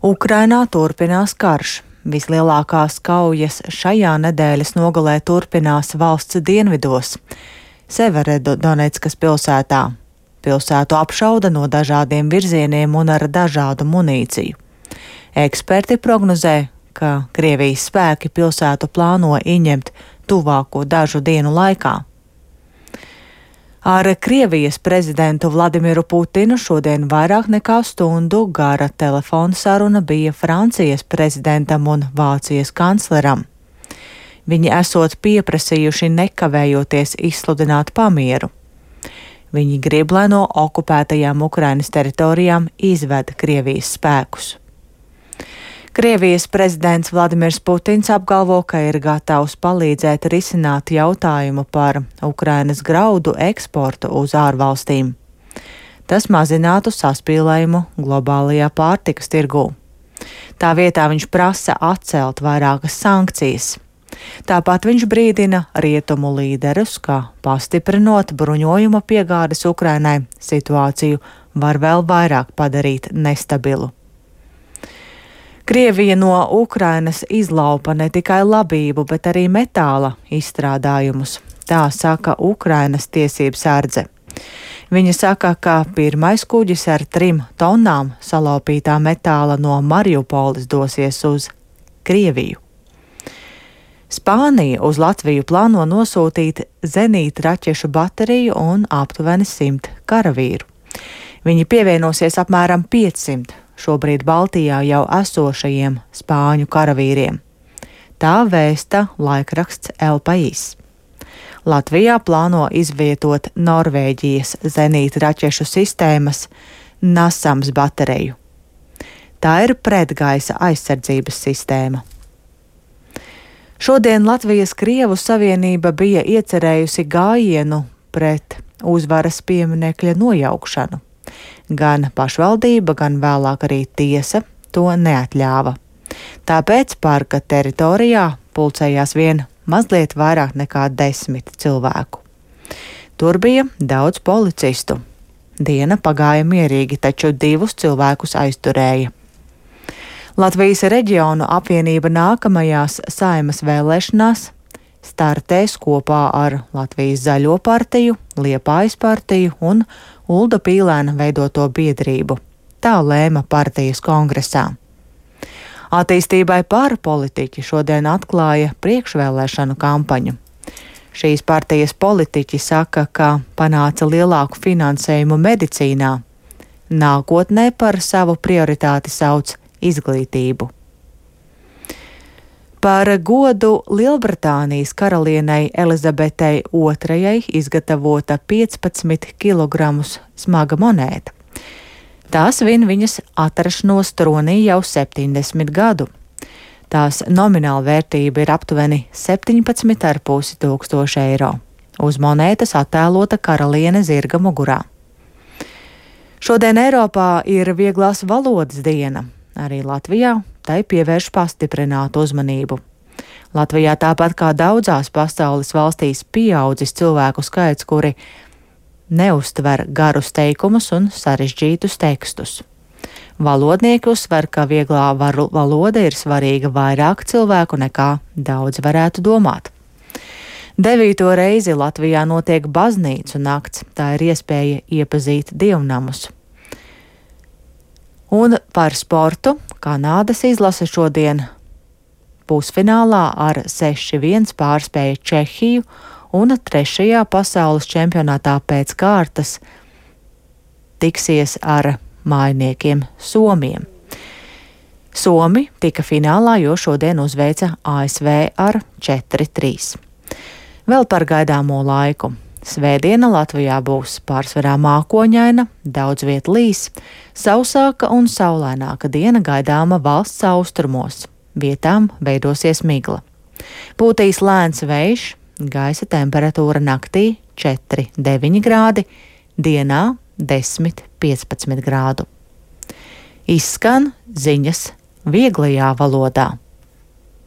Ukrainā turpinās karš. Vislielākās kaujas šajā nedēļas nogalē turpinās valsts dienvidos - Severodoneckas pilsētā. Pilsētu apšauda no dažādiem virzieniem un ar dažādu munīciju. Eksperti prognozē, ka Krievijas spēki pilsētu plāno ieņemt tuvāko dažu dienu laikā. Ar Krievijas prezidentu Vladimiru Putinu šodien vairāk nekā stundu gara telefona saruna bija Francijas prezidentam un Vācijas kancleram. Viņi esot pieprasījuši nekavējoties izsludināt pamieru. Viņi grib, lai no okupētajām Ukrainas teritorijām izved Krievijas spēkus. Krievijas prezidents Vladimirs Putins apgalvo, ka ir gatavs palīdzēt risināt jautājumu par Ukrainas graudu eksportu uz ārvalstīm. Tas mazinātu saspīlējumu globālajā pārtikas tirgū. Tā vietā viņš prasa atcelt vairākas sankcijas. Tāpat viņš brīdina rietumu līderus, ka pastiprinot bruņojuma piegādes Ukrainai, situāciju var vēl vairāk padarīt nestabilu. Krievija no Ukrainas izlaupa ne tikai labību, bet arī metāla izstrādājumus. Tā saka Ukrainas tiesību sardze. Viņa saka, ka pirmais kuģis ar 3 tonnām salaupītā metāla no Mariupoles dosies uz Krieviju. Spānija uz Latviju plāno nosūtīt zenītraķešu bateriju un aptuveni 100 karavīru. Viņi pievienosies apmēram 500 šobrīd Baltijā jau esošajiem spāņu karavīriem. Tā vēsta laikraksts El País. Latvijā plāno izvietot Norvēģijas zenītraķešu sistēmas NASAMS bateriju. Tā ir pretgaisa aizsardzības sistēma. Šodien Latvijas Krievu savienība bija iecerējusi gājienu pret uzvaras pieminekļa nojaukšanu. Gan pašvaldība, gan vēlāk arī tiesa to neatļāva. Tāpēc parka teritorijā pulcējās vien mazliet vairāk nekā 10 cilvēku. Tur bija daudz policistu. Diena pagāja mierīgi, taču 2 cilvēkus aizturēja. Latvijas reģionu apvienība nākamajās Saeimas vēlēšanās startēs kopā ar Latvijas Zaļo partiju, Liepājas partiju un Ulda Pīlēna veidoto biedrību. Tā lēma partijas kongresā. Attīstībai pāri politiķi šodien atklāja priekšvēlēšanu kampaņu. Šīs partijas politiķi saka, ka panāca lielāku finansējumu medicīnā. Nākotnē par savu prioritāti sauc izglītību. Par godu Lielbritānijas karalienei Elizabetei II izgatavota 15 kg smaga monēta. Tās vin viņas atrašanos tronī jau 70 gadu. Tās nomināla vērtība ir aptuveni 17,5 tūkstoši eiro. Uz monētas attēlota karaliene zirga mugurā. Šodien Eiropā ir vieglās valodas diena. Arī Latvijā tai pievērš pastiprinātu uzmanību. Latvijā tāpat kā daudzās pasaules valstīs pieaudzis cilvēku skaits, kuri neuztver garus teikumus un sarežģītus tekstus. Valodnieki uzsver, ka vieglā valoda ir svarīga vairāk cilvēku nekā daudz varētu domāt. 9. reizi Latvijā notiek baznīcu nakts, tā ir iespēja iepazīt dievnamus. Un par sportu Kanādas izlase šodien pusfinālā ar 6-1 pārspēja Čehiju un 3. pasaules čempionātā pēc kārtas tiksies ar mājiniekiem Somiem. Somi tika finālā, jo šodien uzveica ASV ar 4-3. Vēl par gaidāmo laiku. Svētdiena Latvijā būs pārsvarā mākoņaina, daudz viet līs, sausāka un saulaināka diena gaidāma valsts austrumos. Vietām veidosies migla. Pūtīs lēns vējš, gaisa temperatūra naktī 4-9 grādi, dienā 10-15 grādu. Izskan ziņas vieglajā valodā.